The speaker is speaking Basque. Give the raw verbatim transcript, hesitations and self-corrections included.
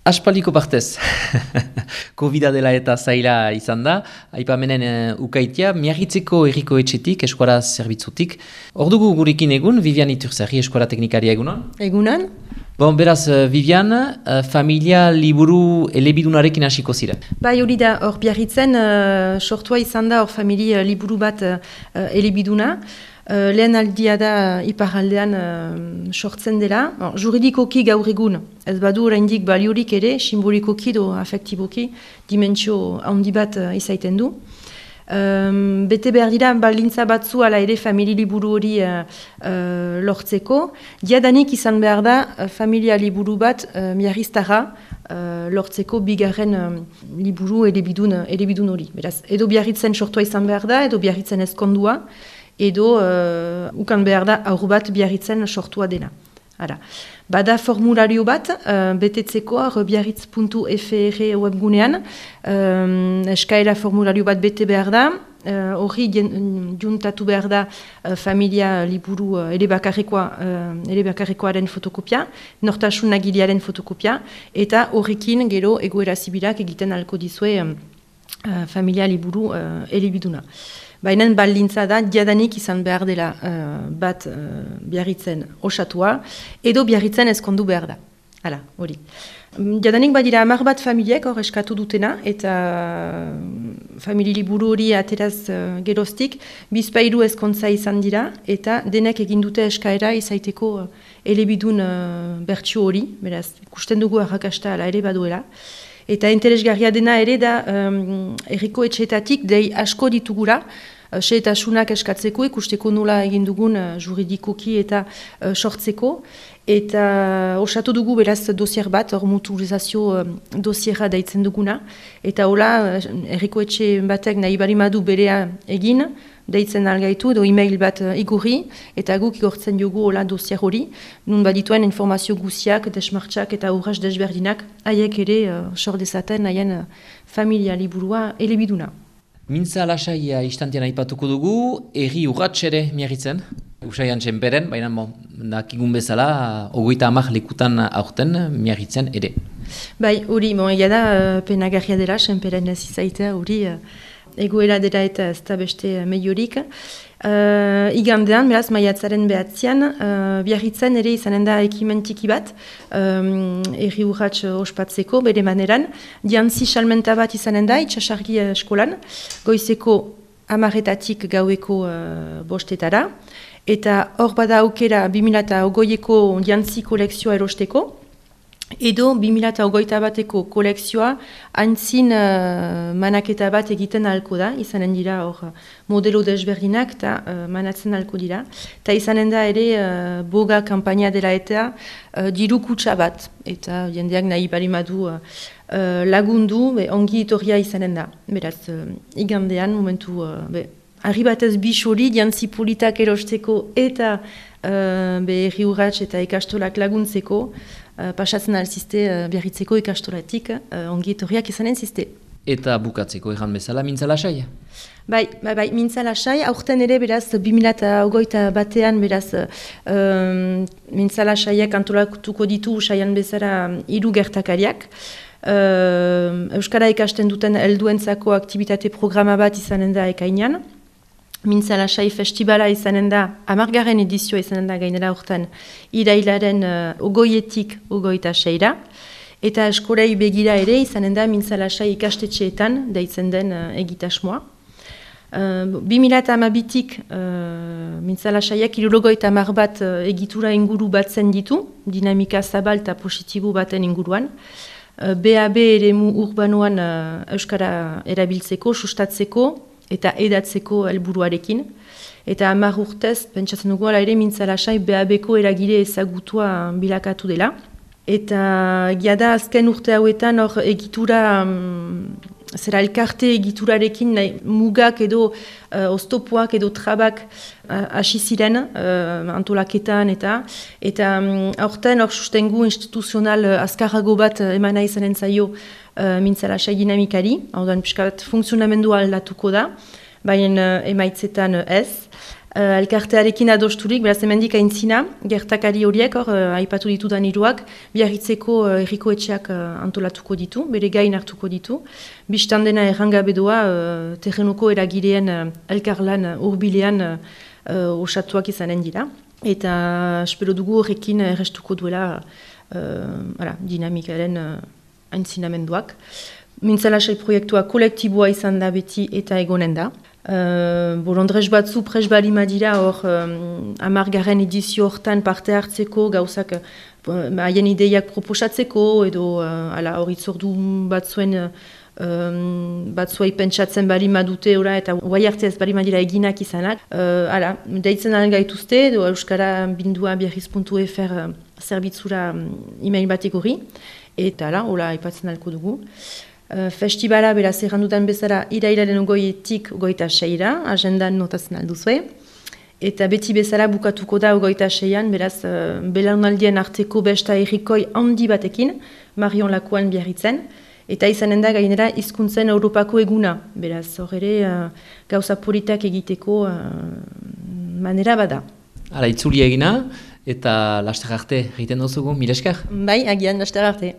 Aspaldiko partez, Covida dela eta zaila izan da, aipamenen uh, ukaitia, miarritzeko erriko etxetik, eskuara zerbitzutik. Ordugu gurekin egun, Vivian Iturzari, eskuara teknikaria egunon? Egunon. Bon, beraz, Vivian, uh, familia liburu elebidunarekin hasiko ziren. Bai, hori da, hor biarritzen, uh, sortua izan da hor familia liburu bat uh, elebiduna. Uh, lehen aldia da iparraldean uh, sortzen dela. Bon, juridikoki gaur egun, ez badu oraindik baliorik ere, simbolikoki do afektiboki, dimentsio handi bat uh, izaiten du. Um, bete behar dira baldintza batzu ala ere familia liburu hori uh, uh, lortzeko. Diadanik izan behar da uh, familia liburu bat uh, miarriztara uh, lortzeko bigarren um, liburu elebidun, elebidun hori. Beraz, edo biarritzen sortua izan behar da, edo biarritzen ezkondua, edo uh, ukan behar da aur bat biarritzen sortua dena. Ara. Bada formulario bat, uh, betetzeko biarritz puntu f r webgunean, um, eskaera formulario bat bete behar da, hori uh, juntatu behar da uh, familia liburu uh, ere bakarrekoa, uh, ere bakarrekoaren fotokopia, nortasun nagilearen fotokopia, eta horrekin gero egoera zibilak egiten alko dizue um, uh, familia liburu uh, elebiduna. Baina baldintza da, diadanik izan behar dela uh, bat uh, biarritzen osatua, edo biarritzen ezkondu behar da. Hala, hori. Diadanik badira hamar bat familiek hor eskatu dutena, eta uh, famili liburu hori ateraz uh, geroztik, bizpailu ezkontza izan dira, eta denek egin dute eskaera izaiteko uh, elebidun uh, bertsio hori, beraz, ikusten dugu arrakasta ala ere baduela. Eta interesgarria dena ere da um, erriko etxeetatik dei asko ditugura, uh, xehetasunak eskatzeko, ikusteko nola egin dugun uh, juridikoki eta uh, sortzeko. Eta uh, osatu dugu beraz dosier bat, hor mutualizazio uh, dosierra daitzen duguna. Eta hola, uh, erriko etxe batek nahi barimadu berea egin, deitzen algaitu edo e-mail bat uh, igurri, eta guk igortzen dugu hola dosier hori, nun badituen informazio guziak, desmartxak eta urras desberdinak, haiek ere uh, sor dezaten haien uh, familia liburua elebiduna. Mintza lasaia istantean aipatuko dugu, erri urratx ere miarritzen, usaian txenperen, baina bon, dakigun bezala, ogoita amak lekutan aurten miarritzen ere. Bai, hori, bon, egia da, uh, penagarria dela, txenperen ez izaitea, hori, uh, egoera dela eta ez da beste mehiorik. Uh, igandean, beraz, maiatzaren behatzean, uh, biarritzen ere izanen da ekimen tiki bat, um, erri urratx ospatzeko, bere maneran. Diantzi salmenta bat izanen da, itxasargi eskolan, goizeko amaretatik gaueko uh, bostetara, eta hor bada aukera bi mila hogeieko diantzi kolekzioa erosteko, edo bi mila hogeita bateko kolekzioa haintzin uh, manaketa bat egiten ahalko da, izanen dira hor modelo desberdinak eta uh, manatzen ahalko dira. Eta izanen da ere uh, boga kampaina dela eta uh, diru kutsa bat, eta jendeak nahi barimadu uh, uh, lagundu, be, ongi itorria izanen da. Beraz, uh, igandean, momentu, uh, be, argi batez bisori, diantzi politak erosteko eta uh, be, erri urratx eta ikastolak laguntzeko, Uh, pasatzen alzizte uh, biarritzeko ikastolatik uh, ongi etorriak izanen zizte. Eta bukatzeko erran bezala, mintza lasai? Bai, bai, bai, mintza lasai, aurten ere beraz bi mila hogeita batean beraz um, mintza lasaiak antolatuko ditu usaian bezala hiru gertakariak. Uh, Euskara ikasten duten helduentzako aktibitate programa bat izanen da ekainean. Mintza lasai festivala izanen da, hamargarren edizioa izanen da gainera hortan, irailaren uh, ogoietik ogoita seira. Eta eskolei begira ere izanen da mintza lasai ikastetxeetan deitzen den uh, egitasmoa. Uh, bi mila hamabitik uh, mintza lasaiak hirurogeita hamar bat uh, egitura inguru batzen ditu, dinamika zabal eta positibo baten inguruan. Uh, B A B eremu urbanoan uh, Euskara erabiltzeko, sustatzeko, eta edatzeko helburuarekin. Eta hamar urtez, pentsatzen dugu ala ere mintza lasai B A Bko eragile ezagutua bilakatu dela. Eta giada azken urte hauetan hor egitura, um, zera elkarte egiturarekin nahi, mugak edo uh, oztopoak edo trabak hasi uh, ziren uh, antolaketan eta eta um, aurten hor sustengu instituzional uh, azkarrago bat uh, emana izanen zaio uh, mintza lasai dinamikari, hau da, pixka bat funtzionamendua aldatuko da, baina uh, emaitzetan uh, ez. uh, elkartearekin adosturik, beraz hemendik aintzina, gertakari horiek, hor, uh, aipatu ditudan hiruak, Biarritzeko uh, herriko etxeak uh, antolatuko ditu, bere gain hartuko ditu. Bistan dena errangabe doa, uh, terrenuko eragileen uh, elkarlan uh, urbilean uh, uh, osatuak izanen dira. Eta espero dugu horrekin errestuko duela uh, ara, dinamikaren uh, aintzinamenduak. Mintzalasai proiektua kolektiboa izan da beti eta egonen da. Uh, Bolondrez batzu pres balima dira hor um, amargarren edizio hortan parte hartzeko gauzak haien uh, ideiak proposatzeko edo uh, ala hor itzordu batzuen uh, Um, batzuei pentsatzen balima dute ora eta guai arte ez balima dira eginak izanak. Uh, ala, deitzen alen gaituzte, edo Euskara bindua biarriz puntu f r uh, zerbitzura um, email batek hori. Eta ala, hola aipatzen alko dugu. Uh, festibala, beraz, errandutan bezala, irailaren ogoietik ogoita seira, agendan notatzen alduzue. Eta beti bezala bukatuko da ogoita seian, beraz, uh, belaunaldien arteko besta errikoi handi batekin, Marion Lakuan Biarritzen. Eta izanen da gainera hizkuntzen Europako eguna, beraz, hor ere uh, gauza politak egiteko uh, manera bada. Hala, itzuli egina, eta laster arte egiten duzugu, mil esker? Bai, agian laster arte.